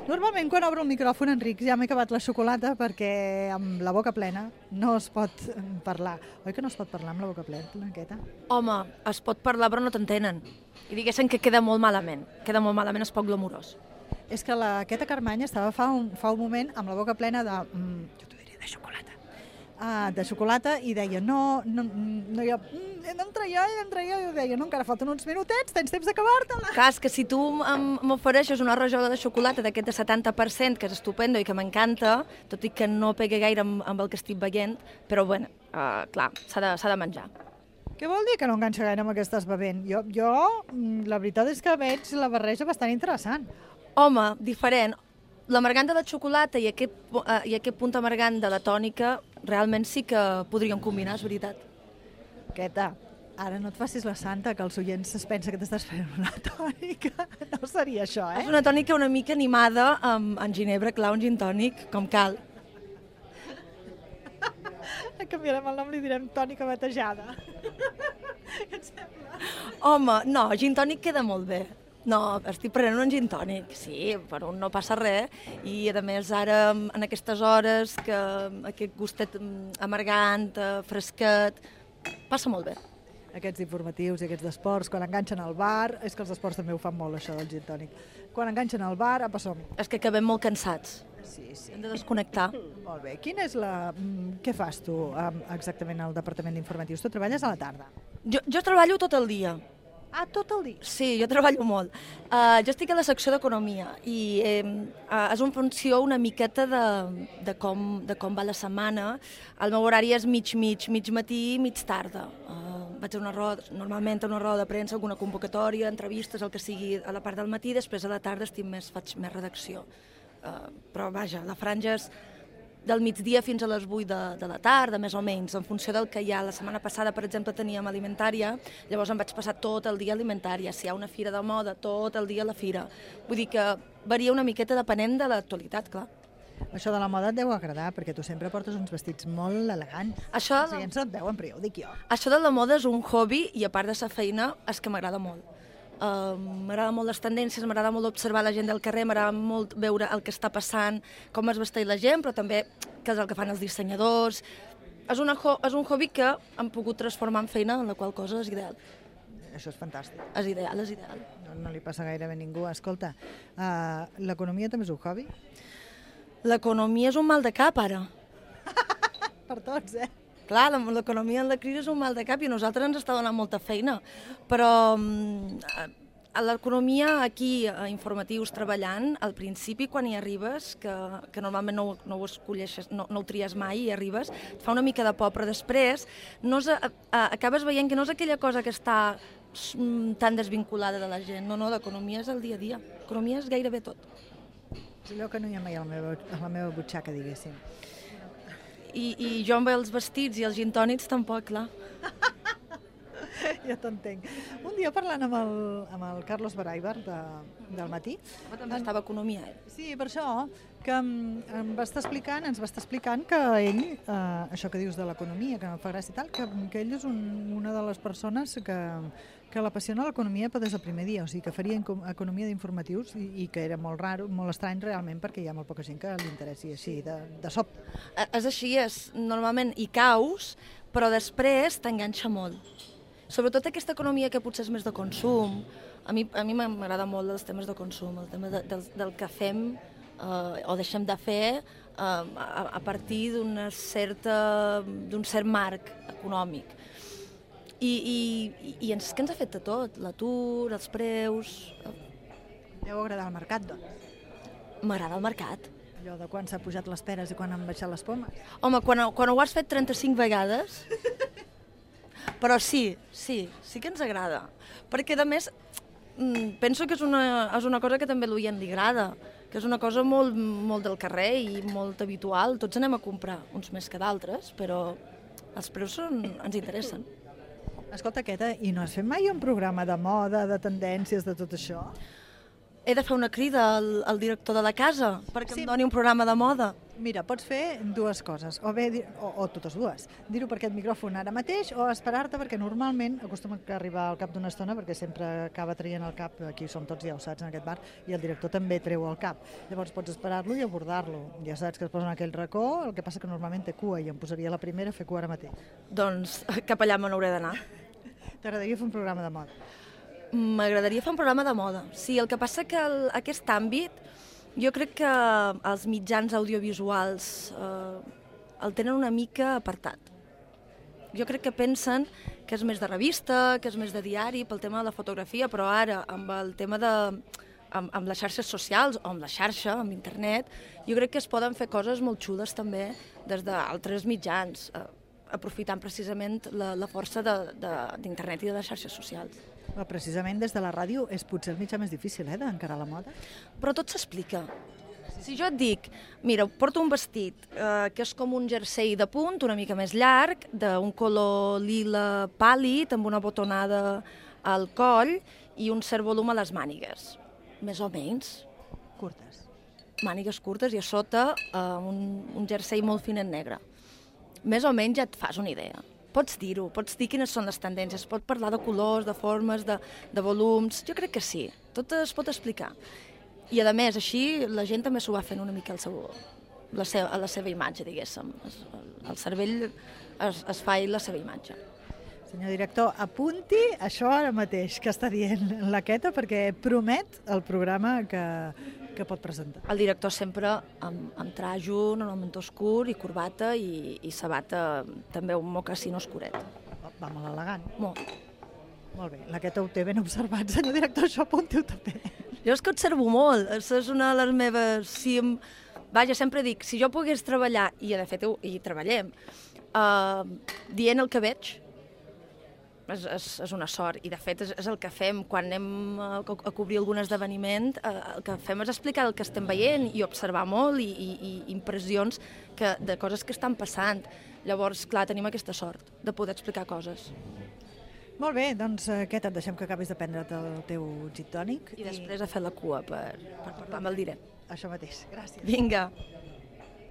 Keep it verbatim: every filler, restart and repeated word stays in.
Normalment quan obro el micròfon, Enric, ja m'he acabat la xocolata perquè amb la boca plena no es pot parlar. Oi que no es pot parlar amb la boca plena, Queta? Home, es pot parlar però no t'entenen. I diguéssim que queda molt malament. Queda molt malament, és poc glamurós. És que la Queta Carmany estava fa un, fa un moment amb la boca plena de... Mm, jo t'ho diria, de xocolata. Ah, de xocolata i deia, no, no, no jo, mm, he d'entrar jo, he d'entrar jo, i jo deia, no, encara falten uns minutets, tens temps d'acabar-te-la. Cas que si tu m'ofereixes una rajola de xocolata d'aquest de setanta per cent, que és estupendo i que m'encanta, tot i que no pega gaire amb, amb el que estic veient, però bueno, uh, clar, s'ha de, s'ha de menjar. Què vol dir que no enganxa gaire amb el que estàs bevent? Jo, jo, la veritat és que veig la barreja bastant interessant. Home, diferent. L'amargant de la xocolata i aquest, uh, i aquest punt amargant de la tònica realment sí que podríem combinar, és veritat. Queta, ara no et facis la santa, que els oients es pensa que t'estàs fent una tònica. No seria això, eh? És una tònica una mica animada amb, amb ginebra, clar, un gin tònic, com cal. Canviarem el nom, li direm tònica batejada. Què et sembla? Home, no, gin tònic queda molt bé. No, estic prenent un gin tònic, sí, per un no passa res, i a més ara en aquestes hores que aquest gustet amargant, fresquet, passa molt bé. Aquests informatius i aquests d'esports, quan enganxen al bar, és que els esports també ho fan molt, això del gin tònic. Quan enganxen al bar, apa som. És que acabem molt cansats. Sí, sí. Hem de desconnectar. Molt bé. Quina és la... Què fas tu exactament al Departament d'Informatius? Tu treballes a la tarda? Jo, jo treballo tot el dia. Ah, tot el dia? Sí, jo treballo molt. Uh, jo estic a la secció d'Economia i eh, uh, és una funció una miqueta de, de, com, de com va la setmana. El meu horari és mig-mig, mig matí i mig tarda. Uh, vaig a una roda, normalment a una roda de premsa, alguna convocatòria, entrevistes, el que sigui a la part del matí, després a la tarda estic més, faig més redacció. Uh, però vaja, la franja és del migdia fins a les vuit de, de la tarda, més o menys, en funció del que hi ha. La setmana passada, per exemple, teníem alimentària, llavors em vaig passar tot el dia a alimentària. Si hi ha una fira de moda, tot el dia a la fira. Vull dir que varia una miqueta depenent de l'actualitat, clar. Això de la moda et deu agradar, perquè tu sempre portes uns vestits molt elegants. Això, Els oients no et veuen, però ja ho dic jo. Això de la moda és un hobby i a part de la feina és que m'agrada molt. Uh, m'agrada molt les tendències, m'agrada molt observar la gent del carrer, m'agrada molt veure el que està passant, com es vesteix la gent, però també què és el que fan els dissenyadors. És, una, és un hobby que hem pogut transformar en feina, en la qual cosa és ideal. Això és fantàstic. És ideal, és ideal. No, no li passa gairebé a ningú. Escolta, uh, l'economia també és un hobby? L'economia és un mal de cap, ara. Per tots, eh? Clar, l'economia en la crisi és un mal de cap i a nosaltres ens està donant molta feina, però a l'economia aquí, a informatius, treballant, al principi quan hi arribes, que, que normalment no, no ho escolleixes, no, no ho tries mai i arribes, et fa una mica de por, però després no és, a, a, acabes veient que no és aquella cosa que està tan desvinculada de la gent, no, no, l'economia és el dia a dia, l'economia és gairebé tot. És allò que no hi ha mai a la meva, a la meva butxaca, diguéssim. I, i jo amb els vestits i els gin tònics tampoc, clar. Ja t'entenc. Un dia parlant amb el, amb el Carlos Baraibar de, del matí... Home, també estava economia, eh? Sí, per això, que em, em va estar explicant, ens va estar explicant que ell, eh, això que dius de l'economia, que em fa gràcia i tal, que, que ell és un, una de les persones que, que l'apassiona l'economia des del primer dia, o sigui, que faria economia d'informatius i, i que era molt raro, molt estrany realment, perquè hi ha molt poca gent que li interessi així, de, de sop. És així, és, normalment hi caus, però després t'enganxa molt. Sobretot aquesta economia que potser és més de consum. A mi, a mi m'agrada molt els temes de consum, el tema de, del, del que fem eh, o deixem de fer eh, a, a partir d'una certa, d'un cert marc econòmic. I, i, i ens, que ens ha fet de tot, l'atur, els preus... Deu agradar el mercat, doncs. M'agrada el mercat. Allò de quan s'ha pujat les peres i quan han baixat les pomes. Home, quan, quan ho has fet trenta-cinc vegades... Però sí, sí, sí que ens agrada. Perquè, a més, penso que és una, és una cosa que també a l'oient li agrada, que és una cosa molt, molt del carrer i molt habitual. Tots anem a comprar, uns més que d'altres, però els preus són, ens interessen. Escolta, Queta, i no has fet mai un programa de moda, de tendències, de tot això? He de fer una crida al, al director de la casa perquè sí. Em doni un programa de moda. Mira, pots fer dues coses, o bé, dir- o, o totes dues. Dir-ho per aquest micròfon ara mateix o esperar-te, perquè normalment acostuma a arribar al cap d'una estona, perquè sempre acaba traient el cap, aquí som tots ja ho saps en aquest bar, i el director també treu el cap. Llavors pots esperar-lo i abordar-lo. Ja saps que es posa en aquell racó, el que passa que normalment té cua, i em posaria la primera a fer cua ara mateix. Doncs cap allà me n'hauré d'anar. T'agradaria fer un programa de moda? M'agradaria fer un programa de moda. Sí, el que passa que el, aquest àmbit, jo crec que els mitjans audiovisuals eh, el tenen una mica apartat. Jo crec que pensen que és més de revista, que és més de diari, pel tema de la fotografia, però ara, amb el tema de... Amb, amb les xarxes socials, o amb la xarxa, amb internet, jo crec que es poden fer coses molt xules també des d'altres mitjans, eh, aprofitant precisament la, la força d'internet i de les xarxes socials. Però precisament des de la ràdio és potser el mitjà més difícil, eh, d'encarar la moda. Però tot s'explica. Si jo et dic, mira, porto un vestit eh, que és com un jersei de punt, una mica més llarg, d'un color lila pàl·lid, amb una botonada al coll i un cert volum a les mànigues. Més o menys. Curtes. Mànigues curtes i a sota eh, un, un jersei molt fin en negre. Més o menys ja et fas una idea. Pots dir-ho, pots dir quines són les tendències, pot parlar de colors, de formes, de, de volums... Jo crec que sí, tot es pot explicar. I a més, així, la gent també s'ho va fent una mica al seu, la seva, a la seva imatge, diguéssim. El cervell es, es fa ell la seva imatge. Senyor director, apunti això ara mateix que està dient la Queta, perquè promet el programa que, que pot presentar. El director sempre amb, amb trajo, normalment oscur, i corbata, i, i sabata, també un mocassín oscuret. Oh, va molt elegant. Molt. Molt bé, la Queta ho té ben observat. Senyor director, això apunti-ho també. Jo és que observo molt, això és una de les meves... Si em... Vaja, sempre dic, si jo pogués treballar, i de fet hi treballem, uh, dient el que veig, és, és, és una sort, i de fet és, és el que fem quan anem a, a cobrir algun esdeveniment, eh, el que fem és explicar el que estem veient i observar molt i, i, i impressions que, de coses que estan passant. Llavors, clar, tenim aquesta sort de poder explicar coses. Molt bé, doncs Queta, et deixem que acabis de prendre't el teu gin tònic. I després a fer la cua per, per parlar amb el direct. Això mateix, gràcies. Vinga.